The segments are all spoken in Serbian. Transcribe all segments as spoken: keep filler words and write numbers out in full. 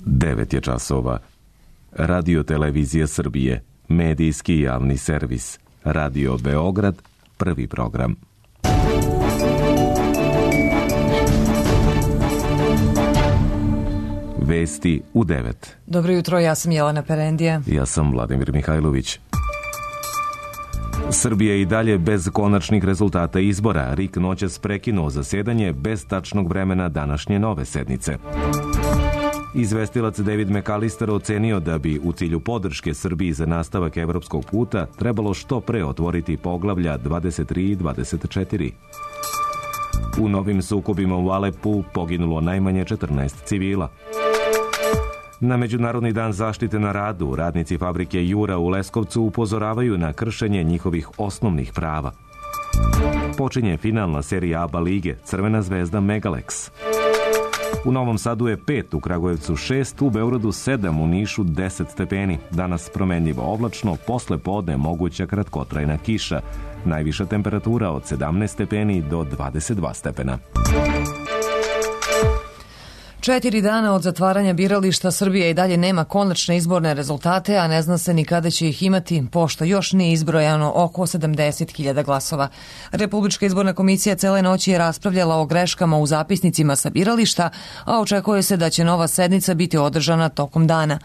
devet je časova. Radio Televizija Srbije, medijski javni servis. Radio Beograd, prvi program. Vesti u devet. Dobro jutro, ja sam Jelena Perendija. Ja sam Vladimir Mihajlović. Srbija i dalje bez konačnih rezultata izbora. R I K noćas prekinuo zasedanje bez tačnog vremena današnje nove sednice. Izvestilac David McAllister ocenio da bi u cilju podrške Srbiji za nastavak evropskog puta trebalo što pre otvoriti poglavlja dvadeset tri i dvadeset četiri. U novim sukobima u Alepu poginulo najmanje četrnaest civila. Na Međunarodni dan zaštite na radu radnici fabrike Jura u Leskovcu upozoravaju na kršenje njihovih osnovnih prava. Počinje finalna serija ABA lige Crvena zvezda Megalex. U Novom Sadu je pet, u Kragujevcu šest, u Beogradu sedam, u Nišu deset stepeni. Danas promenljivo oblačno, posle podne moguća kratkotrajna kiša. Najviša temperatura od sedamnaest stepeni do dvadeset dva stepena. Četiri dana od zatvaranja birališta Srbija i dalje nema konačne izborne rezultate, a ne zna se ni kada će ih imati, pošto još nije izbrojano oko sedamdeset hiljada glasova. Republička izborna komisija cele noći je raspravljala o greškama u zapisnicima sa birališta, a očekuje se da će nova sednica biti održana tokom dana.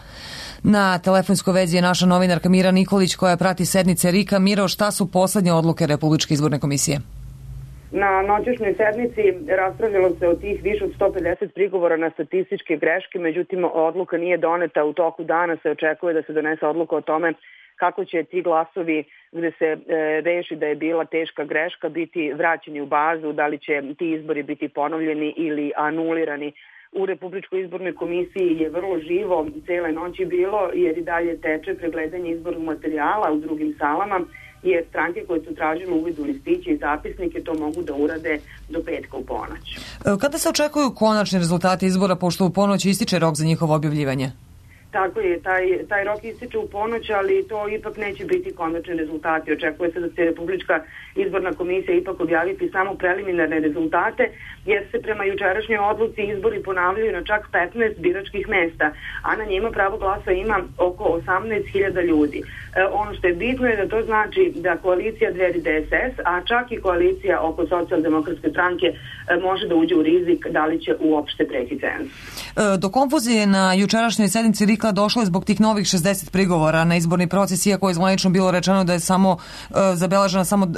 Na telefonskoj vezi je naša novinarka Mira Nikolić koja prati sednice R I K-a. Miro, šta su poslednje odluke Republičke izborne komisije? Na noćašnjoj sednici raspravljalo se o tih više od sto pedeset prigovora na statističke greške, međutim odluka nije doneta. U toku dana se očekuje da se donese odluka o tome kako će ti glasovi gde se e, reši da je bila teška greška biti vraćeni u bazu, da li će ti izbori biti ponovljeni ili anulirani. U Republičkoj izbornoj komisiji je vrlo živo cele noći bilo, jer i dalje teče pregledanje izbornog materijala u drugim salama, jer stranke koje su tražile uvid u listiće i zapisnike to mogu da urade do petka u ponoć. Kada se očekuju konačni rezultati izbora, pošto u ponoć ističe rok za njihovo objavljivanje? Tako je, taj, taj rok ističe u ponoć, ali to ipak neće biti konačni rezultati. Očekuje se da će Republička izborna komisija ipak objaviti samo preliminarne rezultate, jer se prema jučerašnjoj odluci izbori ponavljaju na čak petnaest biračkih mesta, a na njima pravo glasa ima oko osamnaest hiljada ljudi. E, ono što je bitno je da to znači da koalicija Dveri D S S, a čak i koalicija oko Socijaldemokratske stranke e, može da uđe u rizik da li će uopšte preći cenzus. E, do konfuzije na jučerašnjoj sednici R I K-a došlo je zbog tih novih šezdeset prigovora na izborni proces, iako je zvanično bilo rečeno da je samo e, zabeležena samo e,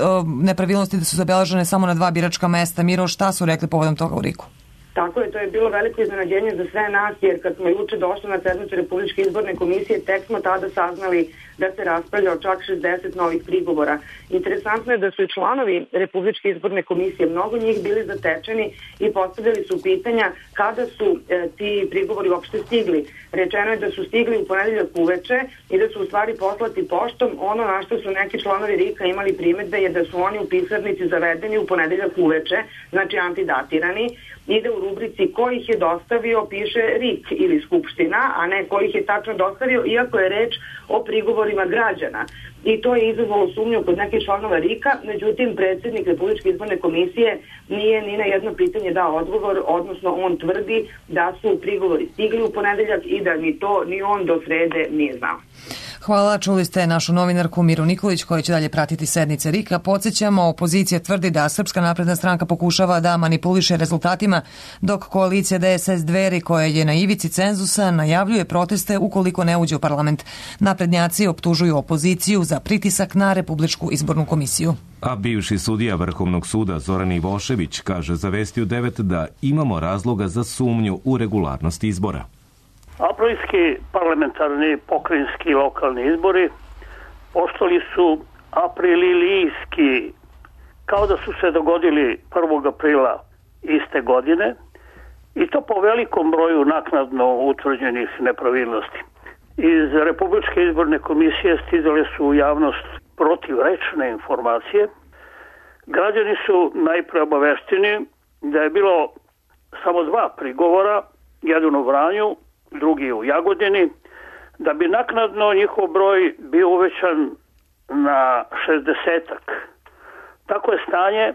nepravilnosti, da su zabeležene samo na dva biračka mesta. Miro, šta su rekli povodom toga u R I K-u? Tako je, to je bilo veliko iznenađenje za sve nas, jer kad smo juče došli na sednicu Republičke izborne komisije, tek smo tada saznali da se raspravlja o čak šezdeset novih prigovora. Interesantno je da su i članovi Republičke izborne komisije, mnogo njih bili zatečeni i postavljali su pitanja kada su e, ti prigovori uopšte stigli. Rečeno je da su stigli u ponedeljak uveče i da su u stvari poslati poštom. Ono na što su neki članovi R I K-a imali primedbe je da su oni u pisarnici zavedeni u ponedeljak uveče, znači antidatirani, i da u rubrici ko ih je dostavio piše R I K ili Skupština, a ne ko ih je tačno dostavio, iako je reč o prigovorima građana. I to je izazvalo sumnju kod nekih članova R I K-a, međutim predsjednik Republičke izborne komisije nije ni na jedno pitanje dao odgovor, odnosno on tvrdi da su prigovori stigli u ponedeljak i da ni to ni on do srede nije znao. Hvala, čuli ste našu novinarku Miru Nikolić koja će dalje pratiti sednice R I K-a. Podsjećamo, opozicija tvrdi da Srpska napredna stranka pokušava da manipuliše rezultatima, dok koalicija D S S Dveri, koja je na ivici cenzusa, najavljuje proteste ukoliko ne uđe u parlament. Naprednjaci optužuju opoziciju za pritisak na Republičku izbornu komisiju. A bivši sudija Vrhovnog suda Zoran Ivošević kaže za Vesti u devet da imamo razloga za sumnju u regularnost izbora. Aprilski parlamentarni, pokrajinski i lokalni izbori postali su aprililijski, kao da su se dogodili prvog aprila iste godine, i to po velikom broju naknadno utvrđenih nepravilnosti. Iz Republičke izborne komisije stizale su u javnost protivrečne informacije. Građani su najpre obavešteni da je bilo samo dva prigovora, jedan u Vranju, drugi u Jagodini, da bi naknadno njihov broj bio uvećan na šezdesetak. Tako je stanje,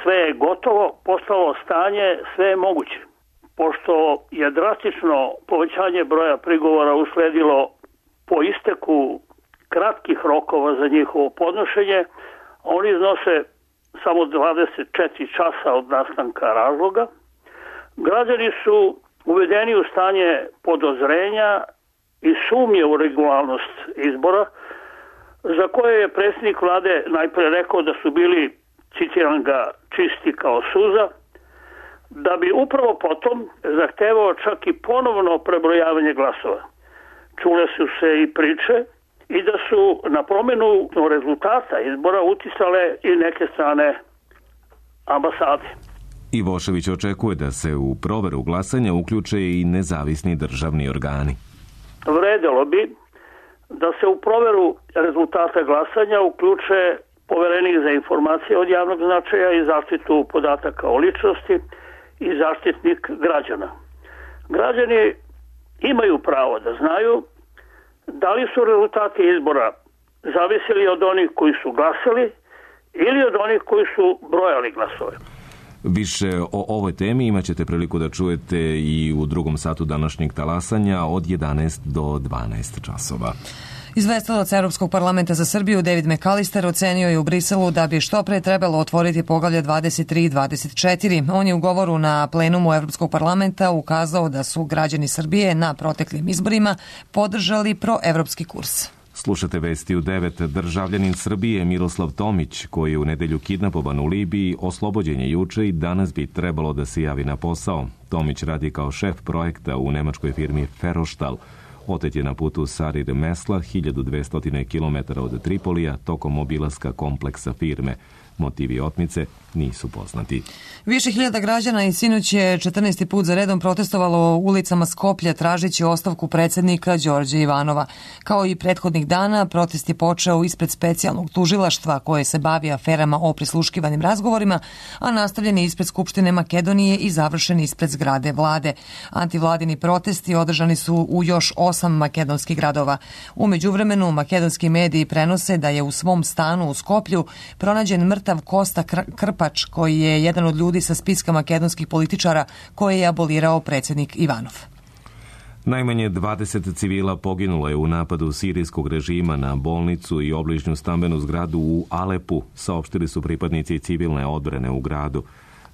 sve je gotovo, postalo stanje, sve je moguće. pošto je drastično povećanje broja prigovora usledilo po isteku kratkih rokova za njihovo podnošenje, oni iznose samo dvadeset četiri časa od nastanka razloga. Građani su uvedeni u stanje podozrenja i sumnje u regularnost izbora, za koje je predsjednik vlade najpre rekao da su bili, citiram ga, čisti kao suza, da bi upravo potom zahtevao čak i ponovno prebrojavanje glasova. Čule su se i priče i da su na promjenu rezultata izbora uticale i neke strane ambasade. Ivošević očekuje da se u proveru glasanja uključe i nezavisni državni organi. Vredelo bi da se u proveru rezultata glasanja uključe poverenik za informacije od javnog značaja i zaštitu podataka o ličnosti i zaštitnik građana. Građani imaju pravo da znaju da li su rezultati izbora zavisili od onih koji su glasali ili od onih koji su brojali glasove. Više o ovoj temi imat ćete priliku da čujete i u drugom satu današnjeg talasanja od jedanaest do dvanaest časova. Izvestilac Europskog parlamenta za Srbiju David McAllister ocenio je u Briselu da bi što pre trebalo otvoriti poglavlje dvadeset tri i dvadeset četiri. On je u govoru na plenumu Europskog parlamenta ukazao da su građani Srbije na proteklim izborima podržali proevropski kurs. Slušate vesti u devet. Državljanin Srbije Miroslav Tomić, koji je u nedelju kidnapovan u Libiji, oslobođen je juče i danas bi trebalo da se javi na posao. Tomić radi kao šef projekta u nemačkoj firmi Ferrostahl. Otet je na putu Sarir Mesla, hiljadu dvesta kilometara od Tripolija, tokom obilaska kompleksa firme. Motivi otmice nisu poznati. Više hiljada građana i sinoć je četrnaesti put za redom protestovalo u ulicama Skoplja tražeći ostavku predsjednika Đorđa Ivanova. Kao i prethodnih dana, protest je počeo ispred specijalnog tužilaštva koje se bavi aferama o prisluškivanim razgovorima, a nastavljen je ispred Skupštine Makedonije i završen ispred zgrade vlade. Antivladini protesti održani su u još osam makedonskih gradova. U međuvremenu makedonski mediji prenose da je u svom stanu u Skoplju pronađen mrtav Kosta Krpač, koji je jedan od ljudi sa spiska makedonskih političara koje je abolirao predsjednik Ivanov. Najmanje dvadeset civila poginulo je u napadu sirijskog režima na bolnicu i obližnju stambenu zgradu u Alepu, saopštili su pripadnici civilne odbrane u gradu.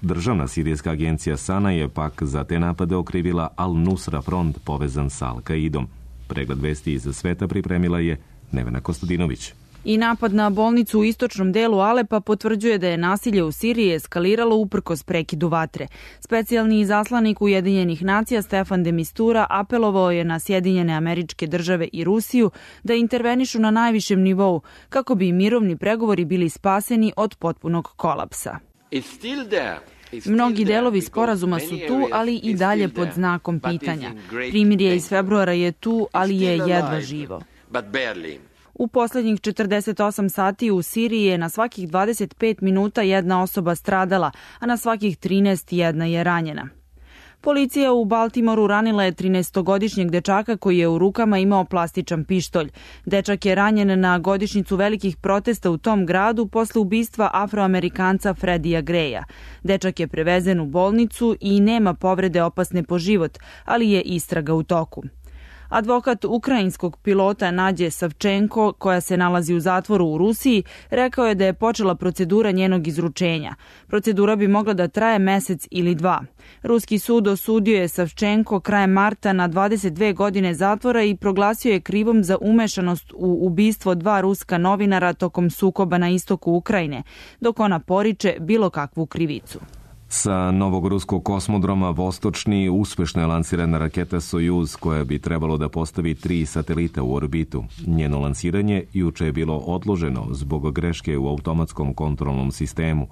Državna sirijska agencija Sana je pak za te napade okrivila Al-Nusra front povezan sa Al-Kaidom. Pregled vesti iz sveta pripremila je Nevena Kostadinović. I napad na bolnicu u istočnom delu Alepa potvrđuje da je nasilje u Siriji eskaliralo uprkos prekidu vatre. Specijalni izaslanik Ujedinjenih nacija Stefan de Mistura apelovao je na Sjedinjene Američke Države i Rusiju da intervenišu na najvišem nivou kako bi mirovni pregovori bili spaseni od potpunog kolapsa. Mnogi delovi sporazuma su tu, ali i dalje pod znakom pitanja. Primirje iz februara je tu, ali je jedva živo. U posljednjih četrdeset osam sati u Siriji je na svakih dvadeset pet minuta jedna osoba stradala, a na svakih trinaest jedna je ranjena. Policija u Baltimoru ranila je trinaestogodišnjeg dečaka koji je u rukama imao plastičan pištolj. Dečak je ranjen na godišnjicu velikih protesta u tom gradu posle ubistva Afroamerikanca Freddija Greya. Dečak je prevezen u bolnicu i nema povrede opasne po život, ali je istraga u toku. Advokat ukrajinskog pilota Nadje Savčenko, koja se nalazi u zatvoru u Rusiji, rekao je da je počela procedura njenog izručenja. Procedura bi mogla da traje mesec ili dva. Ruski sud osudio je Savčenko krajem marta na dvadeset dve godine zatvora i proglasio je krivom za umešanost u ubistvo dva ruska novinara tokom sukoba na istoku Ukrajine, dok ona poriče bilo kakvu krivicu. Sa novog ruskog kosmodroma Vostočni uspešno je lansirana raketa Sojuz koja bi trebalo da postavi tri satelita u orbitu. Njeno lansiranje juče je bilo odloženo zbog greške u automatskom kontrolnom sistemu.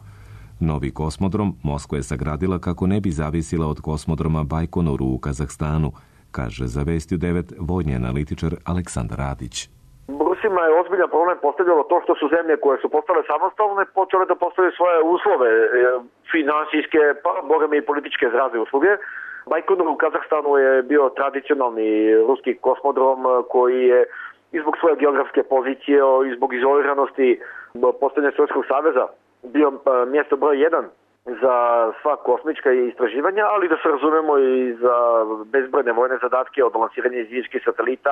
Novi kosmodrom Moskva je sagradila kako ne bi zavisila od kosmodroma Bajkonur u Kazahstanu, kaže za Vesti u devet vojni analitičar Aleksandar Radić. Rusima je ozbiljan problem postavljalo to što su zemlje koje su postale samostalne počele da postavljaju svoje uslove finansijske, pa boga mi i političke razne usluge. Bajkonur u Kazahstanu je bio tradicionalni ruski kosmodrom koji je i zbog svoje geografske pozicije i zbog izoliranosti postavljanja Sovjetskog saveza bio mjesto broj jedan za sva kosmička istraživanja, ali da se razumemo i za bezbrojne vojne zadatke od lansiranja izviđačkih satelita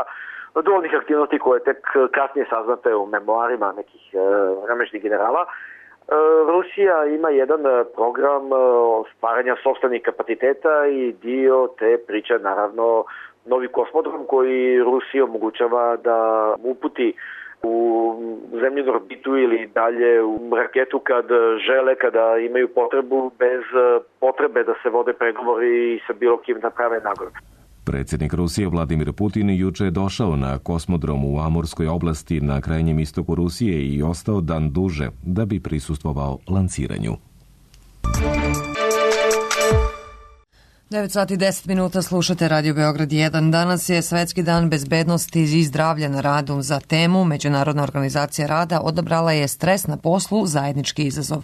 do onih aktivnosti koje tek kasnije saznate u memoarima nekih vremešnih generala. Rusija ima jedan program stvaranja sopstvenih kapaciteta i dio te priče naravno novi kosmodrom koji Rusiji omogućava da uputi u zemljinu orbitu ili dalje u raketu kad žele, kada imaju potrebu, bez potrebe da se vode pregovori sa bilo kim da prave nagradu. Predsjednik Rusije Vladimir Putin juče je došao na kosmodrom u Amurskoj oblasti na krajnjem istoku Rusije i ostao dan duže da bi prisustvovao lanciranju. devet sati i deset minuta slušate Radio Beograd jedan. Danas je Svetski dan bezbednosti i zdravlja na radu. Za temu Međunarodna organizacija rada odabrala je stres na poslu zajednički izazov.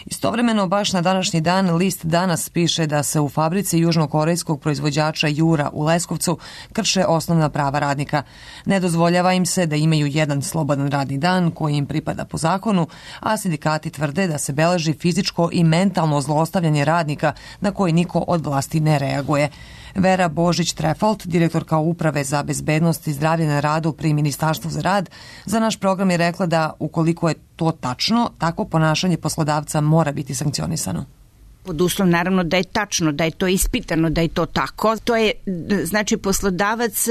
Istovremeno, baš na današnji dan, list Danas piše da se u fabrici južnokorejskog proizvođača Jura u Leskovcu krše osnovna prava radnika. Ne dozvoljava im se da imaju jedan slobodan radni dan koji im pripada po zakonu, a sindikati tvrde da se beleži fizičko i mentalno zlostavljanje radnika na koji niko od vlasti ne reaguje. Vera Božić-Trefalt, direktorka Uprave za bezbednost i zdravlje na radu pri Ministarstvu za rad, za naš program je rekla da ukoliko je to tačno, takvo ponašanje poslodavca mora biti sankcionisano. Pod uslov naravno da je tačno, da je to ispitano, da je to tako. To je, znači, poslodavac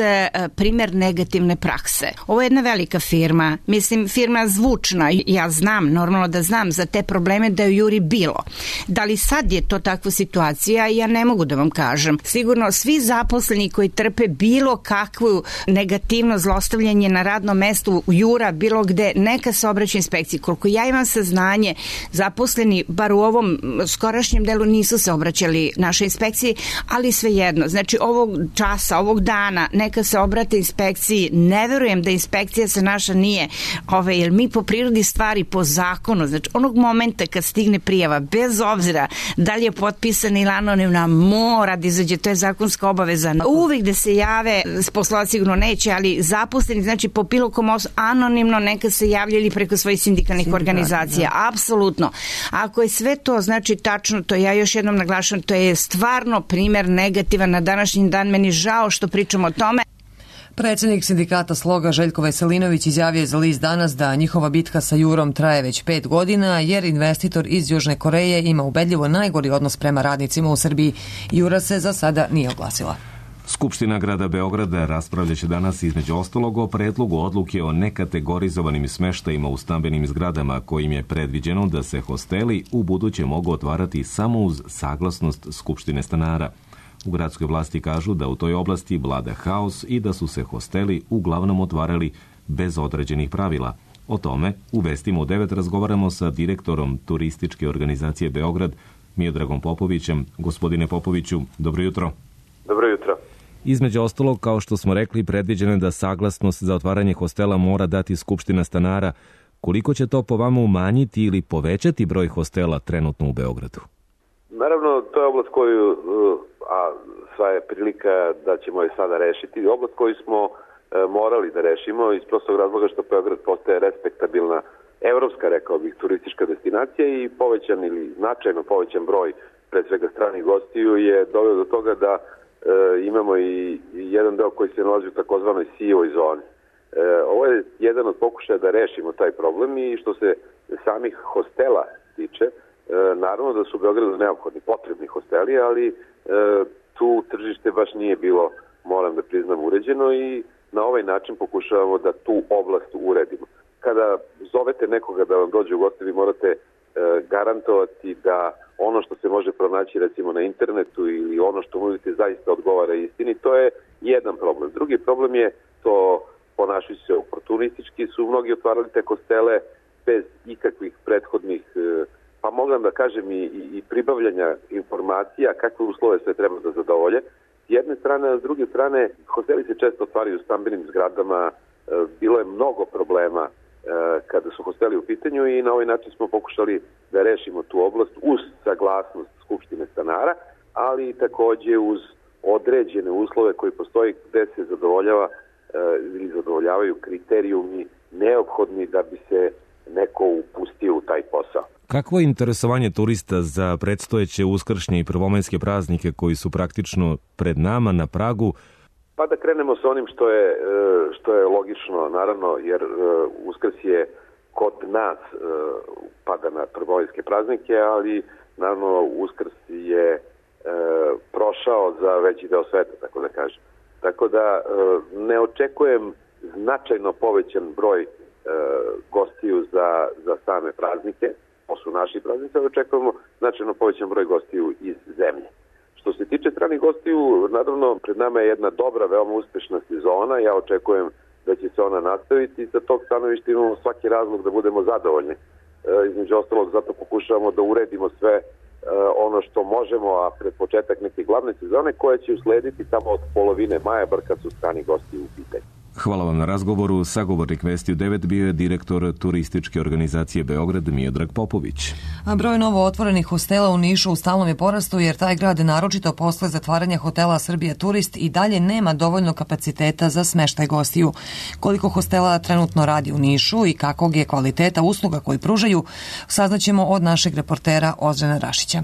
primjer negativne prakse. Ovo je jedna velika firma, mislim firma zvučna, ja znam, normalno da znam za te probleme da je u Juri bilo. Da li sad je to takva situacija, ja ne mogu da vam kažem. Sigurno svi zaposleni koji trpe bilo kakvu negativno zlostavljanje na radnom mestu u Jura, bilo gde, neka se obraća inspekciji. Koliko ja imam saznanje, zaposleni, bar u ovom skorašnjem delu nisu se obraćali našoj inspekciji, ali svejedno, znači ovog časa, ovog dana, neka se obrate inspekciji. Ne verujem da inspekcija se naša nije, ove, jer mi po prirodi stvari, po zakonu, znači onog momenta kad stigne prijava, bez obzira da li je potpisana ili anonimna, mora da izađe, to je zakonska obaveza. Uvijek da se jave, poslodavac sigurno neće, ali zaposleni, znači po bilo kom osnovu, anonimno neka se javljali preko svojih sindikalnih organizacija, da. Apsolutno. Ako je sve to, znači tačno, to ja još jednom naglašam, to je stvarno primjer negativan na današnji dan, meni žao što pričamo o tome. Predsjednik sindikata Sloga Željko Veselinović izjavio je za list Danas da njihova bitka sa Jurom traje već pet godina, jer investitor iz Južne Koreje ima ubedljivo najgori odnos prema radnicima u Srbiji. Jura se za sada nije oglasila. Skupština grada Beograda raspravljaće danas između ostalog o predlogu odluke o nekategorizovanim smeštajima u stambenim zgradama kojim je predviđeno da se hosteli u buduće mogu otvarati samo uz saglasnost Skupštine stanara. U gradskoj vlasti kažu da u toj oblasti vlada haos i da su se hosteli uglavnom otvarali bez određenih pravila. O tome u Vestima u devet razgovaramo sa direktorom turističke organizacije Beograd, Miodragom Popovićem. Gospodine Popoviću, dobro jutro. Dobro jutro. Između ostalog, kao što smo rekli, predviđeno je da saglasnost za otvaranje hostela mora dati Skupština stanara. Koliko će to po vama umanjiti ili povećati broj hostela trenutno u Beogradu? Naravno, to je oblast koju, a sva je prilika da ćemo je sada rešiti, oblast koju smo morali da rešimo iz prostog razloga što Beograd postaje respektabilna evropska, rekao bih, turistička destinacija i povećan ili značajno povećan broj pre svega stranih gostiju je doveo do toga da e, imamo i, i jedan deo koji se nalazi u takozvanoj sivoj zoni. E, ovo je jedan od pokušaja da rešimo taj problem i što se samih hostela tiče, e, naravno da su u Beogradu neophodni potrebni hosteli, ali e, tu tržište baš nije bilo, moram da priznam, uređeno i na ovaj način pokušavamo da tu oblast uredimo. Kada zovete nekoga da vam dođe u goste, vi morate e, garantovati da ono što se može pronaći recimo na internetu ili ono što nudite zaista odgovara istini, to je jedan problem. Drugi problem je to, ponašajući se oportunistički, su mnogi otvarali te hostele bez ikakvih prethodnih, e, pa mogu da kažem i, i, i pribavljanja informacija kakve uslove sve treba da zadovolje. S jedne strane, a s druge strane, hosteli se često otvaraju u stambenim zgradama, e, bilo je mnogo problema kada su hosteli u pitanju i na ovaj način smo pokušali da rešimo tu oblast uz saglasnost Skupštine stanara, ali takođe uz određene uslove koji postoji gde se zadovoljava ili zadovoljavaju kriterijumi neophodni da bi se neko upustio u taj posao. Kakvo je interesovanje turista za predstojeće uskršnje i prvomajske praznike koji su praktično pred nama na pragu? Pa da krenemo sa onim što je, što je logično, naravno, jer Uskrs je kod nas pada na prvomajske praznike, ali naravno Uskrs je prošao za veći deo sveta, tako da kažem. Tako da ne očekujem značajno povećan broj gostiju za, za same praznike. To su naši praznici, ali očekujemo značajno povećan broj gostiju iz zemlje. Što se tiče stranih gostiju, naravno pred nama je jedna dobra, veoma uspešna sezona. Ja očekujem da će se ona nastaviti i sa tog stanovišta imamo svaki razlog da budemo zadovoljni. E, između ostalog, zato pokušavamo da uredimo sve e, ono što možemo, a pred početak neke glavne sezone koje će uslediti tamo od polovine maja, bar kad su strani gosti u pitanju. Hvala vam na razgovoru. Sagovornik Vesti u devet bio je direktor turističke organizacije Beograd Miodrag Popović. A broj novo otvorenih hostela u Nišu u stalnom je porastu jer taj grad naročito posle zatvaranja hotela Srbija Turist i dalje nema dovoljno kapaciteta za smeštaj gostiju. Koliko hostela trenutno radi u Nišu i kakvog je kvaliteta usluga koji pružaju, saznaćemo od našeg reportera Ozrena Rašića.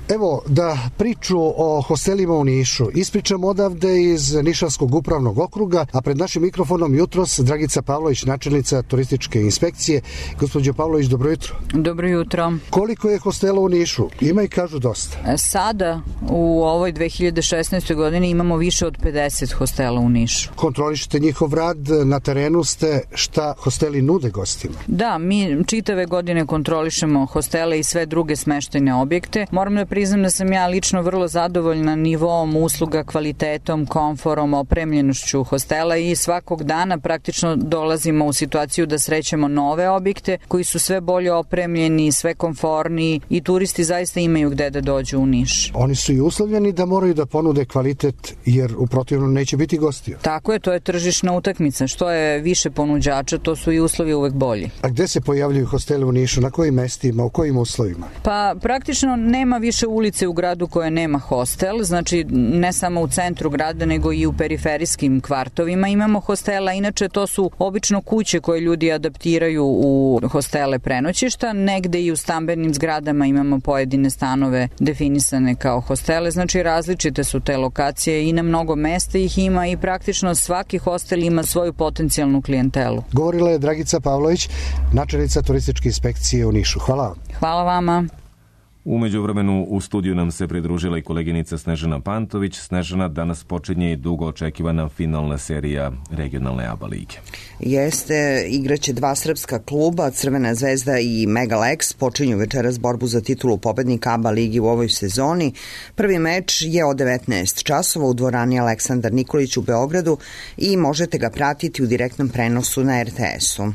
Evo da priču o hostelima u Nišu ispričam odavde iz Nišanskog upravnog okruga, a pred našim mikrofonom jutros Dragica Pavlović, načelnica turističke inspekcije. Gospođo Pavlović, dobro jutro. Dobro jutro. Koliko je hostela u Nišu? Ima i kažu dosta. Sada u ovoj dve hiljade šesnaestoj godini imamo više od pedeset hostela u Nišu. Kontrolišete njihov rad, na terenu ste, šta hosteli nude gostima? Da, mi čitave godine kontrolišemo hostele i sve druge smeštajne objekte. Moram da priznam da sam ja lično vrlo zadovoljna nivoom usluga, kvalitetom, komforom, opremljenošću hostela i svakog dana praktično dolazimo u situaciju da srećemo nove objekte koji su sve bolje opremljeni, sve komforniji i turisti zaista imaju gde da dođu u Niš. Oni su i uslovljeni da moraju da ponude kvalitet jer u protivnom neće biti gostiju. Tako je, to je tržišna utakmica. Što je više ponuđača, to su i uslovi uvek bolji. A gde se pojavljuju hosteli u Nišu? Na kojim mestima? U kojim uslovima? Pa praktično nema više ulice u gradu koje nema hostel, znači ne samo u centru grada nego i u periferijskim kvartovima imamo hostela, inače to su obično kuće koje ljudi adaptiraju u hostele prenoćišta, negde i u stambenim zgradama imamo pojedine stanove definisane kao hostele, znači različite su te lokacije i na mnogo mesta ih ima i praktično svaki hostel ima svoju potencijalnu klijentelu. Govorila je Dragica Pavlović, načelnica turističke inspekcije u Nišu. Hvala vam. Hvala vama. U međuvremenu u studiju nam se pridružila i koleginica Snežana Pantović. Snežana, danas počinje i dugo očekivana finalna serija regionalne ABA lige. Jeste, igraće dva srpska kluba, Crvena zvezda i Megalex, počinju večeras borbu za titulu pobednika ABA ligi u ovoj sezoni. Prvi meč je od devetnaest časova u dvorani Aleksandar Nikolić u Beogradu i možete ga pratiti u direktnom prenosu na er te esu.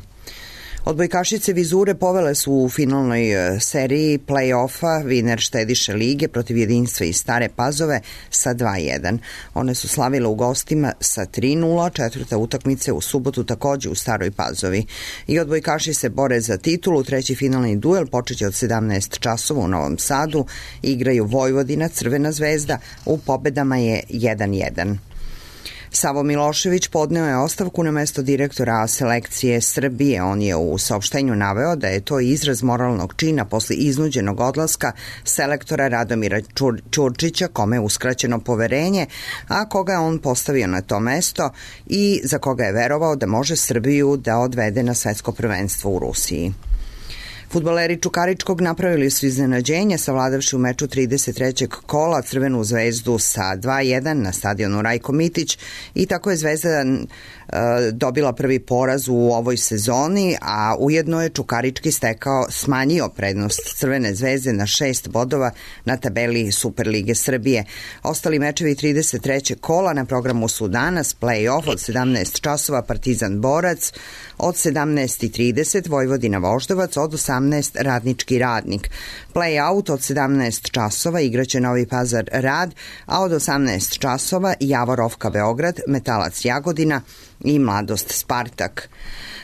Odbojkašice Vizure povele su u finalnoj seriji play-offa Viner štediše lige protiv Jedinstva iz Stare Pazove sa dva jedan. One su slavile u gostima sa tri nula, četvrta utakmice u subotu takođe u Staroj Pazovi. I odbojkaši se bore za titulu, treći finalni duel počeće od sedamnaest časova u Novom Sadu. Igraju Vojvodina, Crvena zvezda, u pobedama je jedan jedan. Savo Milošević podneo je ostavku na mesto direktora A selekcije Srbije. On je u saopštenju naveo da je to izraz moralnog čina posle iznuđenog odlaska selektora Radomira Čur, Čurčića, kome je uskraćeno poverenje, a koga je on postavio na to mesto i za koga je verovao da može Srbiju da odvede na svetsko prvenstvo u Rusiji. Fudbaleri Čukaričkog napravili su iznenađenje savladavši u meču trideset trećeg kola Crvenu zvezdu sa dva jedan na stadionu Rajko Mitić i tako je Zvezda e, dobila prvi poraz u ovoj sezoni, a ujedno je Čukarički stekao smanjio prednost Crvene zvezde na šest bodova na tabeli Superlige Srbije. Ostali mečevi trideset trećeg kola na programu su danas play-off od sedamnaest časova Partizan Borac, od sedamnaest i trideset Vojvodina Voždovac, od osamnaest Radnički Radnik. Play-out od sedamnaest časova igraće Novi Pazar Rad, a od osamnaest časova Javorovka Beograd, Metalac Jagodina i Mladost Spartak.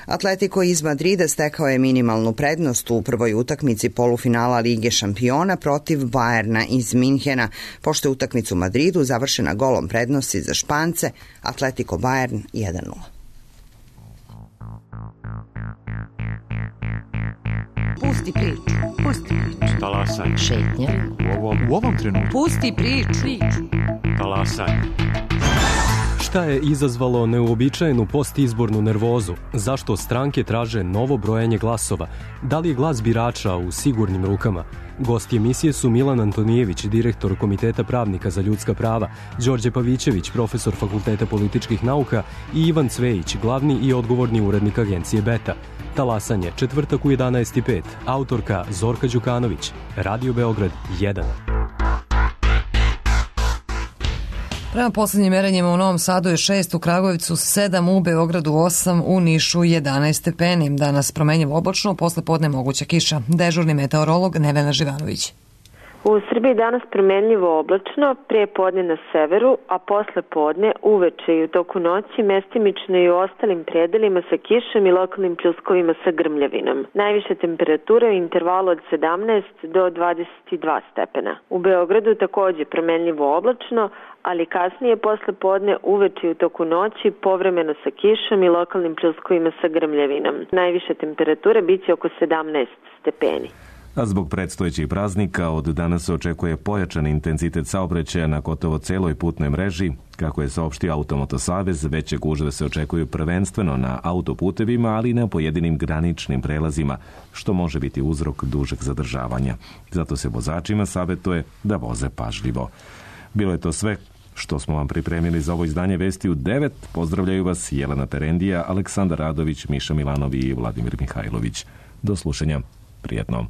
Atletico iz Madrida stekao je minimalnu prednost u prvoj utakmici polufinala Lige šampiona protiv Bajerna iz Minhena, pošto je utakmica u Madridu završena golom prednosti za Špance, Atletico Bayern jedan nula. Pusti priču. Pusti priču. Talasaj. Šetnja. U ovom, u ovom trenutku. Pusti priču. priču. Talasaj. Šta je izazvalo neuobičajenu postizbornu nervozu? Zašto stranke traže novo brojanje glasova? Da li je glas birača u sigurnim rukama? Gosti emisije su Milan Antonijević, direktor Komiteta pravnika za ljudska prava, Đorđe Pavićević, profesor Fakulteta političkih nauka i Ivan Cvejić, glavni i odgovorni urednik agencije Beta. Talasanje, četvrtak u jedanaest i pet. Autorka Zorka Đukanović. Radio Beograd jedan. Prema poslednjim merenjima u Novom Sadu je šest, u Kragujevcu sedam, u Beogradu osam, u Nišu jedanaest stepeni. Danas promenjivo oblačno, posle podne moguća kiša. Dežurni meteorolog Nevena Živanović. U Srbiji danas promenljivo oblačno, prije podne na severu, a posle podne uveče i u toku noći mestimično i u ostalim predelima sa kišom i lokalnim pljuskovima sa grmljavinom. Najviše temperature u intervalu od sedamnaest do dvadeset dva stepena. U Beogradu takođe promenljivo oblačno, ali kasnije posle podne uveče i u toku noći povremeno sa kišom i lokalnim pljuskovima sa grmljavinom. Najviše temperature biće oko sedamnaest stepeni. A zbog predstojećih praznika od danas se očekuje pojačan intenzitet saobraćaja na gotovo celoj putnoj mreži. Kako je saopštio Automoto Savez, veće gužve se očekuju prvenstveno na autoputevima, ali i na pojedinim graničnim prelazima, što može biti uzrok dužeg zadržavanja. Zato se vozačima savjetuje da voze pažljivo. Bilo je to sve što smo vam pripremili za ovo izdanje Vesti u devet. Pozdravljaju vas Jelena Terendija, Aleksandar Radović, Miša Milanovi i Vladimir Mihajlović. Do slušanja. Prijetno.